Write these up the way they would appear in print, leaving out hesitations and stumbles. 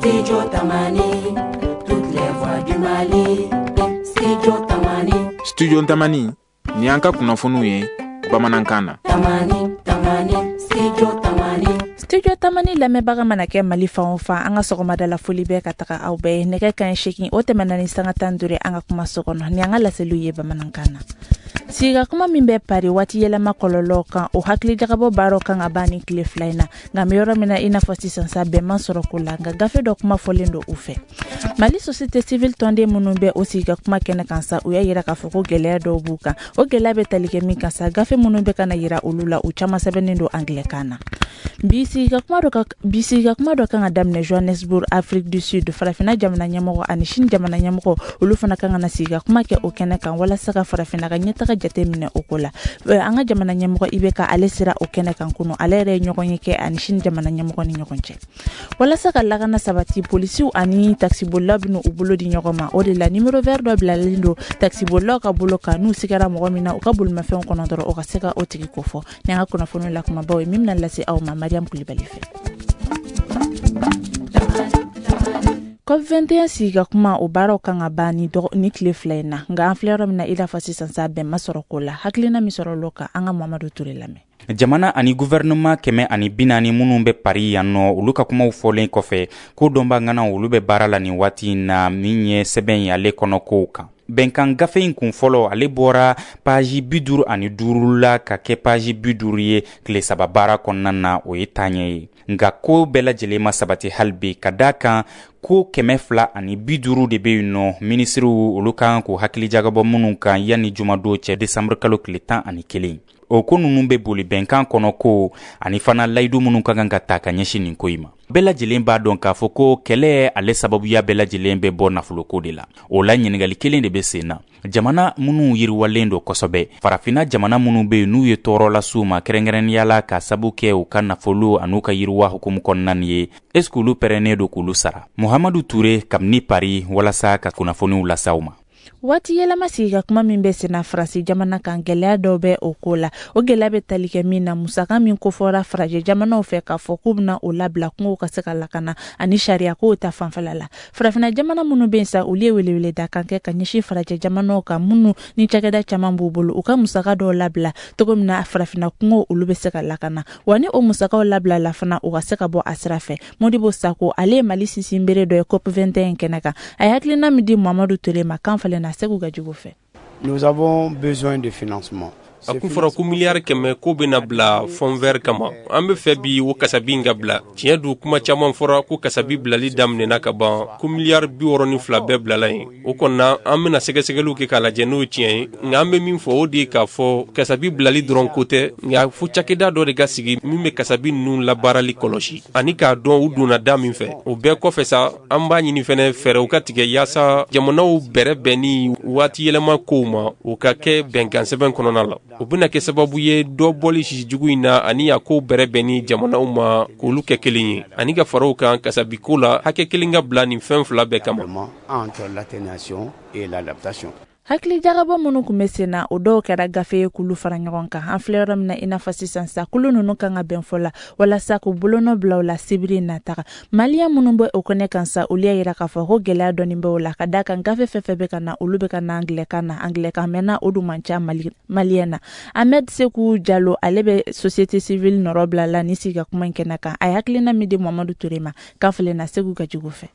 Studio Tamani, toutes les voix du Mali. Studio Tamani. Studio Tamani, ni an ka kunnafoniw ye bamanankan na. Tamani, Tamani, Studio Tamani. Studio Tamani lamɛnbaga mana kɛ Mali fan o fan, an ka sɔgɔmada la foli bɛ ka taga aw bɛɛ ye. Nɛgɛ kanɲɛ 8, o tɛmɛna ni sanga 15 ye an ka kumaso kɔnɔ. Ni an ka laseliw ye bamanankan na. Sigikakuma min bɛ Paris waati yɛlɛma kɔlɔlɔw kan, o hakilijagabɔ baaraw kan ka ban ni tile 2 in na. Nka bɛ yɔrɔ min na i n'a fɔ sisan sa, bɛn ma sɔrɔ ko la, nka gafe dɔ kuma fɔlen don u fɛ. Mali société civile tɔnden minnu bɛ o sigikakuma kɛnɛ kan sa, u y'a yira k'a fɔ ko gɛlɛya dɔw b'u kan. O gɛlɛya bɛ tali kɛ min kan sa, gafe minnu bɛ ka na yira olu la, u caman sɛbɛnnen don anglais-kan na. Bi sigikakuma dɔ kan ka daminɛ Johannesburg, Afrique du Sud. Farafinna jamana ɲɛmɔgɔ ani Chine jamana ɲɛmɔgɔ, olu fana kan ka na sigikakuma kɛ o kɛnɛ kan walasa ka farafinna ka ɲɛtaga jate minɛ o ko la. An ka jamana ɲɛmɔgɔ IBK, ale sera o kɛnɛ kan kunu. Ale yɛrɛ ye ɲɔgɔn ye kɛ ani Chine jamana ɲɛmɔgɔ ni ɲɔgɔn cɛ. Walasa ka lakana sabati, polisiw ani takisibolilaw bɛna u bolo di ɲɔgɔn ma. O de la numéro vert dɔ bilalen don takisibolilaw ka bolo kan, n'u sigara mɔgɔ min na u ka bolimafɛnw kɔnɔ dɔrɔn, o ka se ka o tigi kofɔ. Ni an ka kunnafoniw la kumabaw ye min bɛna lase aw ma Mariam Kulibali fɛ. COP21 sigikakuma, o baaraw kan ka ban ni tile 2 in na. Nka an filɛ yɔrɔ min na i n'a fɔ sisan sa, bɛn ma sɔrɔ ko la. Hakilina min sɔrɔ l'o kan, an ka Mamadu Ture lamɛn. Jamana ani gouvernement 140 minnu bɛ Paris yan nɔ, olu ka kumaw fɔlen kɔfɛ, ko dɔnba ŋanaw olu bɛ baara la nin waati in na min ye sɛbɛn ye ale kɔnɔ kow kan. Bɛnkan gafe in kun fɔlɔ, ale bɔra paji 55 la ka kɛ paji 50 ye tile 3 baara kɔnɔna na, o ye taaɲɛ ye. Nka ko bɛɛ lajɛlen ma sabati hali bi, ka da kan ko 250 de bɛ yen nɔ, minisiriw olu kan k'u hakili jagabɔ minnu kan yanni jumadon cɛ, desanburu kalo tile 11. O ko ninnu bɛ boli bɛnkan kɔnɔ ko ani fana layidu minnu ka kan ka ta ka ɲɛsin nin ko in ma. Bɛɛ lajɛlen b'a dɔn k'a fɔ ko kɛlɛ ale sababuya bɛɛ lajɛlen bɛ bɔ nafoloko de la. O la ɲininkali kelen de bɛ sen na. Jamana minnu yiriwalen don kosɛbɛ, farafinna jamana minnu bɛ yen n'u ye tɔɔrɔ las'u ma kɛrɛnkɛrɛnnenya la ka sabu kɛ u ka nafolo an'u ka yiriwa hukumu kɔnɔna nin ye, est ce que olu pɛrɛnnen don k'olu sara? Muhamadu Ture kabini Paris walasa ka kunnafoniw las'aw ma. Waati yɛlɛma sigikakuma min bɛ senna Faransi jamana kan, gɛlɛya dɔw bɛ o ko la. O gɛlɛya bɛ tali kɛ min na, musaka min kofɔra farajɛ jamanaw fɛ k'a fɔ k'u bɛna o labila kungow ka se ka lakana ani sariya kow ta fanfɛla la. Farafinna jamana minnu bɛ yen sa, olu ye weleweleda kan kɛ ka ɲɛsin farajɛ jamanaw kan minnu ni cakɛda caman b'u bolo, u ka musaka dɔw labila cogo min na farafinna kungow olu bɛ se ka lakana. Wa ni o musakaw labila la fana, u ka se ka bɔ a sira fɛ. Modibo Sako, ale ye Mali sinsinbere dɔ ye COP21 kɛnɛ kan. A ye hakilina min di Mamadu Ture ma, kan falen na Segu Gajugu fɛ. Nous avons besoin de financement. A kun fɔra ko miliyari 100 ko bɛna bila fond vert kama. An bɛ fɛ bi o kasabi in ka bila. Tiɲɛ don, kuma caman fɔra ko kasabi bilali daminɛna ka ban, ko miliyari 62 bɛɛ bilala yen. O kɔni an bɛna sɛgɛsɛgɛliw kɛ k'a lajɛ n'o ye tiɲɛ ye. Nka an bɛ min fɔ, o de ye k'a fɔ kasabi bilali dɔrɔn ko tɛ, nka fo cakɛda dɔ de ka sigi min bɛ kasabi ninnu labaarali kɔlɔsi ani k'a dɔn u donna da min fɛ. O bɛɛ kɔfɛ sa, an b'a ɲini fɛnɛ fɛɛrɛw ka tigɛ yaasa jamanaw bɛrɛ bɛnni waati yɛlɛma kow ma, o ka kɛ bɛnkan sɛbɛn kɔnɔna la. O bɛna kɛ sababu ye dɔ bɔli sisi jugu in na ani a kow bɛrɛ bɛnni jamanaw ma k'olu kɛ kelen ye, ani ka fara o kan kasabiko la hakɛ kelen ka bila nin fɛn 2 bɛɛ kama. Entre l'atténuation et l'adaptation. Hakilijagabɔ minnu tun bɛ sen na, o dɔw kɛra gafe ye k'olu fara ɲɔgɔn kan. An filɛ yɔrɔ min na i n'a fɔ sisan sa, kulu ninnu kan ka bɛn fɔ la walasa k'u bolonɔ bila u la sibiri nataga. Maliyɛn minnu bɛ o kɛnɛ kan sa, olu y'a yira k'a fɔ ko gɛlɛya dɔɔni bɛ o la, ka d'a kan gafe fɛn fɛn bɛ ka na, olu bɛ ka na angilɛkan na. Angilɛkan mɛnna, o dun man ca maliyɛn na. Ahmed Seku Jalo, ale bɛ société civile nɔrɔ bila la ni sigi ka kuma in kɛnɛ kan. A ye hakilina min di Mamadu Ture ma, kan filɛ na Segu Gajugu fɛ.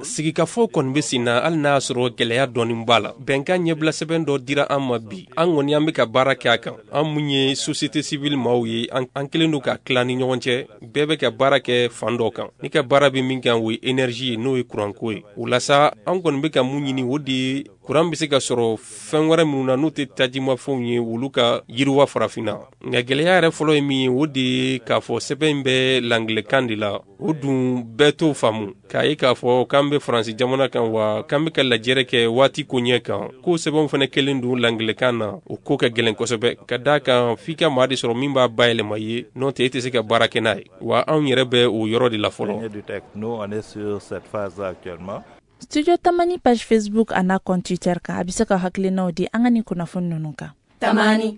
Sigikafɔ kɔni bɛ sen na hali n'a y'a sɔrɔ gɛlɛya dɔɔni b'a la. Bɛnkan ɲɛbila sɛbɛn dɔ dira an ma bi. An kɔni an bɛ ka baara kɛ a kan. An mun ye société civile maaw ye, an kelen don ka tila ni ɲɔgɔn cɛ. Bɛɛ bɛ ka baara kɛ fan dɔ kan. Ni ka baara bɛ min kan, o ye énergie ye, n'o ye kuranko ye. O la sa, an kɔni bɛ ka mun ɲini, o de ye kuran bɛ se ka sɔrɔ fɛn wɛrɛ minnu na n'o tɛ tajimafɛnw ye, olu ka yiriwa farafinna. Nka gɛlɛya yɛrɛ fɔlɔ ye min ye, o de ye k'a fɔ sɛbɛn in bɛ langilɛkan de la. O dun bɛɛ t'o faamu. K'a ye k'a fɔ k'an bɛ Faransi jamana kan, wa k'an bɛ ka lajɛrɛ kɛ waati koɲɛ kan, ko sɛbɛnw fana kɛlen don langilɛkan na, o ko ka gɛlɛn kosɛbɛ. Ka d'a kan f'i ka maa de sɔrɔ min b'a bayɛlɛma i ye, n'o tɛ e tɛ se ka baara kɛ n'a ye. Wa anw yɛrɛ bɛ o yɔrɔ de la fɔlɔ. Studio Tamani page Facebook a n'a compte Twitter kan, a bɛ se ka hakilinaw di an ka nin kunnafoni ninnu kan. Tamani.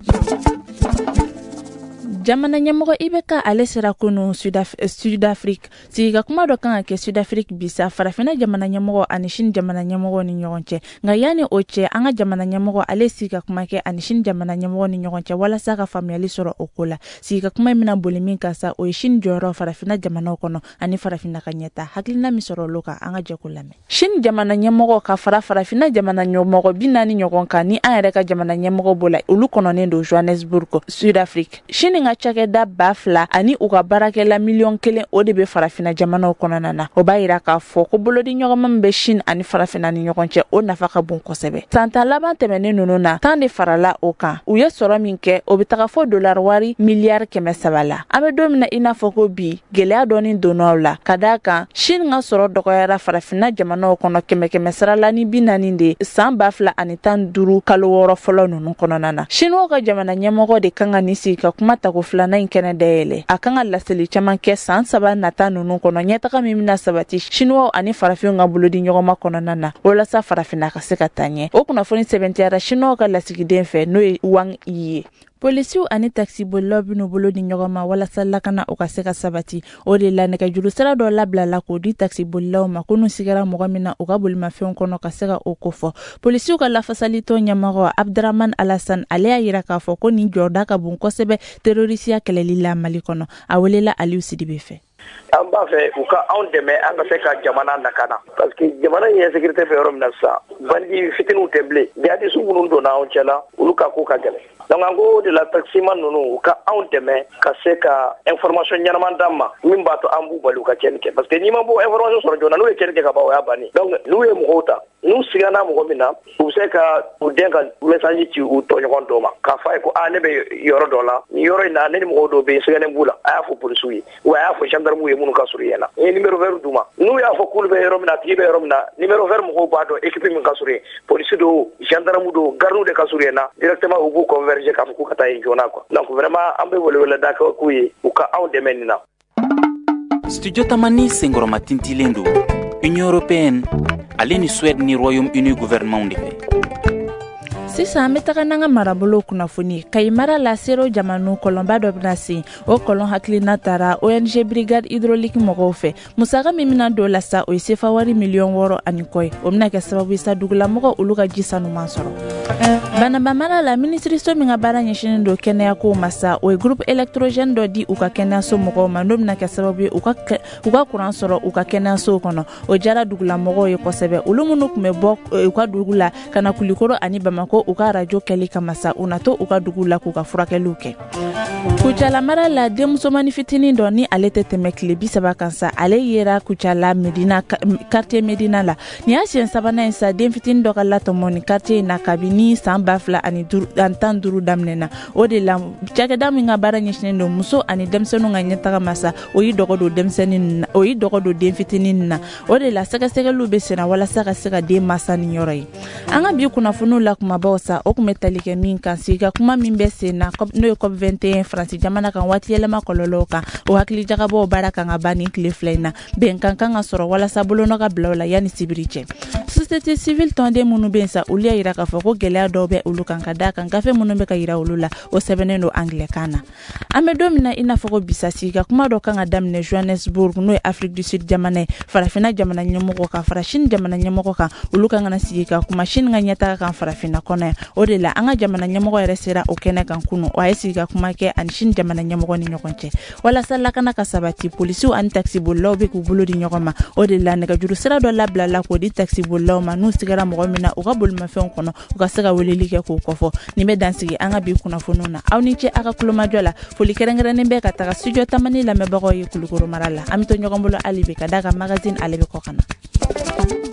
Jamana ɲɛmɔgɔ IBK, ale sera kunu Sud-Afrique. Sigika kuma dɔ kan ka kɛ Sud-Afrique bi sa, Farafinna jamana ɲɛmɔgɔ ani Chine jamana ɲɛmɔgɔ ni ɲɔgɔn cɛ. Nka yanni o cɛ, an ka jamana ɲɛmɔgɔ, ale sigi ka kuma kɛ ani Chine jamana ɲɛmɔgɔ ni ɲɔgɔn cɛ walasa ka faamuyali sɔrɔ o ko la. Sigi ka kuma in bɛna boli min kan sa, o ye Chine jɔyɔrɔ Farafinna jamanaw kɔnɔ ani Farafinna ka ɲɛta. Hakilina min sɔrɔ olu kan, an ka jɛ k'o lamɛn. Chine jamana ɲɛmɔgɔ ka fara Farafinna jamana ɲɛmɔgɔ 40 ɲɔgɔn kan, ni an yɛrɛ ka jamana ɲɛmɔgɔ b'o la, olu kɔnɔnen don Johannesburg, Sud-Afrique. Chine ka cakɛda 2000 ani u ka baarakɛla 1 miliyɔn, o de bɛ Farafinna jamanaw kɔnɔna na. O b'a yira k'a fɔ ko bolodi ɲɔgɔnma min bɛ Chine ani Farafinna ni ɲɔgɔn cɛ, o nafa ka bon kosɛbɛ. San 10 laban tɛmɛnen ninnu na, 10 de farala o kan. U ye sɔrɔ min kɛ, o bɛ taga fɔ dolari wari miliyari 300 la. An bɛ don min na i n'a fɔ ko bi, gɛlɛya dɔɔni donna o la, ka d'a kan Chine ka sɔrɔ dɔgɔyara Farafinna jamanaw kɔnɔ kɛmɛ kɛmɛ sara la ni 40 de san 2015 kalo 6 fɔlɔ ninnu kɔnɔna na. Chinois ka jamana ɲɛmɔgɔ de kan ka nin sigi ka kuma tako filanan in kɛnɛ dayɛlɛ. A kan ka laseli caman kɛ san 3 nata ninnu kɔnɔ, ɲɛtaga min bɛna sabati Chinois ani farafinw ka bolodi ɲɔgɔnma kɔnɔna na, walasa Farafinna ka se ka taa ɲɛ. O kunnafoni sɛbɛntiyara Chinois ka lasigiden fɛ, n'o ye Wang Yi ye. Polisiw ani takisibolilaw bɛn'u bolo di ɲɔgɔn ma walasa lakana o ka se ka sabati. O de la, nɛgɛjuru sira dɔ labilala k'o di takisibolilaw ma, ko n'u sigara mɔgɔ min na u ka bolimafɛnw kɔnɔ, ka se ka o kofɔ. Polisiw ka lafasalitɔn ɲɛmɔgɔ Abdramane Alassane, ale y'a yira k'a fɔ ko nin jɔda ka bon kosɛbɛ terorisiya kɛlɛli la Mali kɔnɔ. A welela Aliou Sidibe fɛ. An b'a fɛ u ka anw dɛmɛ, an ka se ka jamana lakana, parce que jamana in insécurité bɛ yɔrɔ min na sisan, bandit fitininw tɛ bilen, jihadistes minnu donna anw cɛ la, olu ka ko ka gɛlɛn. Donc an ko de la, taximan ninnu, u ka anw dɛmɛ ka se ka information ɲɛnama d'an ma min b'a to an b'u bali u ka tiɲɛni kɛ, parce que n'i ma bɔ information sɔrɔ joona, n'u ye tiɲɛni kɛ ka ban, o y'a bannen. Donc n'u ye mɔgɔw ta, n'u sigana mɔgɔ min na, u bɛ se ka u den ka message ci u tɔɲɔgɔn dɔw ma k'a fɔ a ye ko aa, ne bɛ yɔrɔ dɔ la, nin yɔrɔ in na, ne ni mɔgɔw dɔw bɛ yen, siganen b'u la, a y'a fɔ polisiw ye ou a y'a fɔ gendarmew ye minnu ka surun yen na. N ye numéro vert d'u ma. N'u y'a fɔ k'olu bɛ yɔrɔ min na, a tigi bɛ yɔrɔ min na, numéro vert mɔgɔw b'a dɔn équipe min ka surun yen, polisi do, gendarme do, garde de ka surun yen na, directement u b'u converger k'a fɔ k'u ka taa yen joona quoi. Donc vraiment, an bɛ weleweleda kɛ k'u ye, u ka anw dɛmɛ nin na. Studio Tamani senkɔrɔma tintilen don Union européenne ale ni Suède ni Royaume-Uni gouvernement de fɛ. Sisan, an bɛ taga n'an ka marabolo kunnafoni. Kayi mara la, Sero Jamanu kɔlɔnba dɔ bɛna sen. O kɔlɔn hakilina taara ONG Brigade Hydraulique mɔgɔw fɛ. Musaka min bɛna don la sa, o ye sefa wari miliyɔn 6 ani kɔ ye. O bɛna kɛ sababu ye sa, dugulamɔgɔ olu ka ji sanuman sɔrɔ. Banaba mara la, minisiriso min ka baara ɲɛsinen don kɛnɛyako ma sa, o ye groupe électrogène dɔ di u ka kɛnɛyaso mɔgɔw ma, n'o bɛna kɛ sababu ye u ka kuran sɔrɔ u ka kɛnɛyasow kɔnɔ. O jara dugulamɔgɔw ye kosɛbɛ, olu minnu tun bɛ bɔ u ka dugu la ka na Kulikoro ani Bamako u ka arajo kɛli kama sa, u na to u ka dugu la k'u ka furakɛliw kɛ. Kucala mara la, denmusomani fitinin dɔ ni ale tɛ tɛmɛ tile 30 kan sa, ale yera Kucala Medina, quartier Medina la. Nin y'a siɲɛ sabanan ye sa, den fitinin dɔ ka latɔmɔ nin quartier in na kabini san 2015 daminɛ na. O de la, cakɛda min ka baara ɲɛsinen don muso ani denmisɛnninw ka ɲɛtaga ma sa, o y'i dɔgɔ don denmisɛnnin na, o y'i dɔgɔ don den fitinin na. O de la, sɛgɛsɛgɛliw bɛ senna walasa ka se ka den masa ni yɔrɔ ye. An ka bi kunnafoniw la kumabaw sa, o tun bɛ tali kɛ min kan, sigi ka kuma min bɛ sen na, n'o ye COP 21 Faransi jamana kan, waati yɛlɛma kɔlɔlɔw kan, o hakili jagabɔw baara kan ka ban nin tile 2 in na. Bɛnkan kan ka sɔrɔ walasa bolonɔ ka bila o la yanni sibiri cɛ. Société civile tɔnden minnu bɛ yen sa, olu y'a yira k'a fɔ ko gɛlɛya dɔw bɛ olu kan, ka d'a kan gafe minnu bɛ ka yira olu la, o sɛbɛnnen don angilɛkan na. An bɛ don min na i n'a fɔ ko bisa, sigi ka kuma dɔ kan ka daminɛ Johannesburg, n'o ye Afrique du Sud jamana ye, Farafinna jamana ɲɛmɔgɔ kan fara Chine jamana ɲɛmɔgɔ kan. Olu kan ka na sigi ka kuma Chine ka ɲɛtaga kan Farafinna kɔnɔ yan. O de la, an ka jamana ɲɛmɔgɔ yɛrɛ sera o kɛnɛ kan kunu. O a ye sigi ka kuma kɛ ani Chine jamana ɲɛmɔgɔ ni ɲɔgɔn cɛ walasa lakana ka sabati. Polisiw ani takisibolilaw bɛ k'u bolo di ɲɔgɔn ma. O de la, nɛgɛjuru sira dɔ labilala k'o di takisibolilaw ma, n'u sigara mɔgɔ min na u ka bolimafɛnw kɔnɔ, u ka se ka weleli kɛ k'o kɔfɔ. Nin bɛ dansigi an ka bi kunnafoniw na. Aw ni ce aw ka kulomajɔ la. Foli kɛrɛnkɛrɛnnen bɛ ka taga Studio Tamani lamɛnbagaw ye Kulukoro mara la. An bɛ to ɲɔgɔn bolo hali bi, ka d'a kan magazine ale bɛ kɔ ka na.